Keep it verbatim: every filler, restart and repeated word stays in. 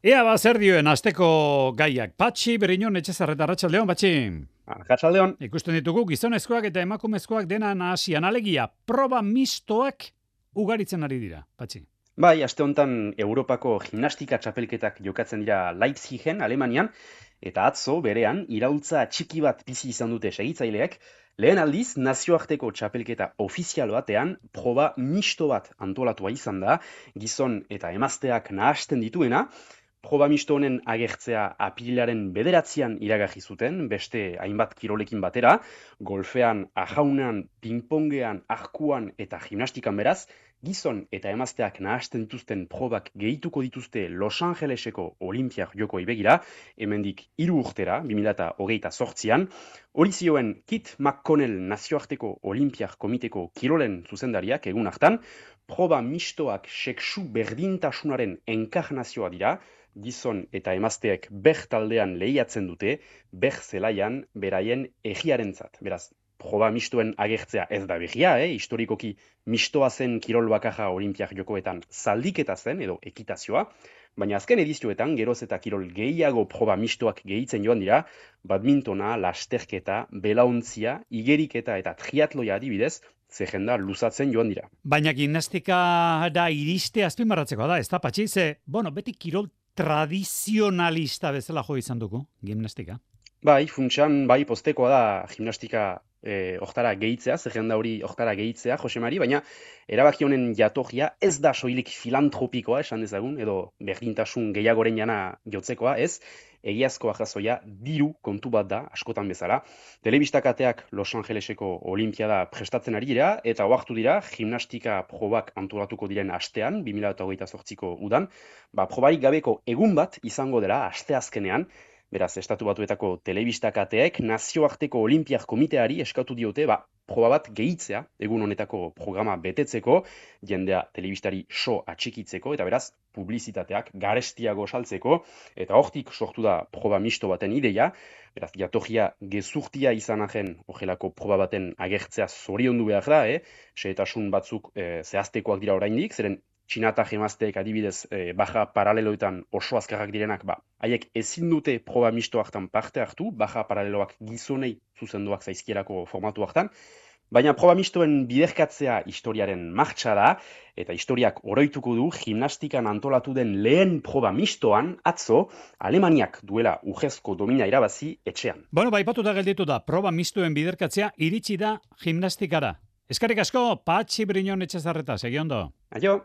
Ea ba zer dioen asteko gaiak. Patxi Briñon Etxezarreta, Arratsaldeon, Patxi. Arratsaldeon. Ikusten ditugu gizonezkoak eta emakumezkoak dena nahasian, alegia proba mistoak ugaritzen ari dira, Patxi. Bai, aste honetan Europako gimnastika txapelketak jokatzen dira Leipzigen, Alemanian, eta atzo berean iraultza txiki bat bizi izan dute segitzaileek. Lehen aldiz, nazioarteko txapelketa ofizial batean proba misto bat antolatua izan da, gizon eta emazteak nahasten dituena. Proba misto honen agertzea apirilaren bederatzian iragarri zuten, beste hainbat kirolekin batera, golfean, ajaunean, pingpongean, arkuan eta gimnastikan beraz, gizon eta emazteak nahasten dituzten probak gehituko dituzte Los Angeleseko Olinpiar Jokoei begira, hemendik hiru urtera, bi mila hogeita zortzian, hori zioen Kit McConnell nazioarteko Olinpiar Komiteko kirolen zuzendariak egun hartan, proba mistoak sexu berdintasunaren enkarnazioa dira, gizon eta emazteek ber taldean lehiatzen dute, ber zelaian beraien egiarentzat. Beraz, proba mistoen agertzea ez da berria, eh? Historikoki mistoa zen kirol bakarra Olinpiar Jokoetan zaldiketa zen edo ekitazioa, baina azken edizioetan geroz eta kirol gehiago proba mistoak gehitzen joan dira, badmintona, lasterketa, belaontzia, igeriketa eta triatloia adibidez, zerrenda luzatzen joan dira. Baina gimnastika da iriste azpimarratzeko da, ez da, Patxi? Ze, bueno, beti kirol tradizionalista bezala jo izan dugu, gimnastika. Bai, funtsan, bai, postekoa da gimnastika eh, oktara gehitzea, zerrenda hori oktara gehitzea, Jose Mari, baina erabaki honen jatorria ez da soilik filantropikoa, esan dezagun, edo berdintasun gehiagoren jana jotzekoa, ez, egiazko arrazoia diru kontu bat da, askotan bezala. Telebistakateak Los Angeleseko Olimpiada prestatzen ari dira, eta oartu dira, gimnastika probak antolatuko diren astean, bi mila hogeita zortziko udan, ba, probarik gabeko egun bat izango dela asteazkenean. Beraz, Estatu Batuetako telebistakateek nazioarteko Olinpiar Komiteari eskatu diote, ba, proba bat gehitzea, egun honetako programa betetzeko, jendea telebistari so atxikitzeko, eta beraz, publizitateak garestiago saltzeko, eta hortik sortu da proba misto baten ideia, beraz, jatorria gezurtia izan ahen, horrelako proba baten agertzea zoriondu behar da, eh? Xehetasun batzuk eh, zehaztekoak dira oraindik, zeren Txina eta emazteek adibidez eh, baja paraleloetan oso azkarrak direnak, ba, haiek ezin dute proba misto hartan parte hartu, baja paraleloak gizonei zuzenduak zaizkierako formatu hartan, baina proba mistoen biderkatzea historiaren martxa da, eta historiak oroituko du gimnastikan antolatu den lehen proba mistoan, atzo, Alemaniak duela urrezko domina irabazi etxean. Bueno, ba, aipatuta gelditu da, proba mistoen biderkatzea iritsi da gimnastikara. Eskerrik asko, Patxi Briñon Etxezarreta, segi ondo. Aio!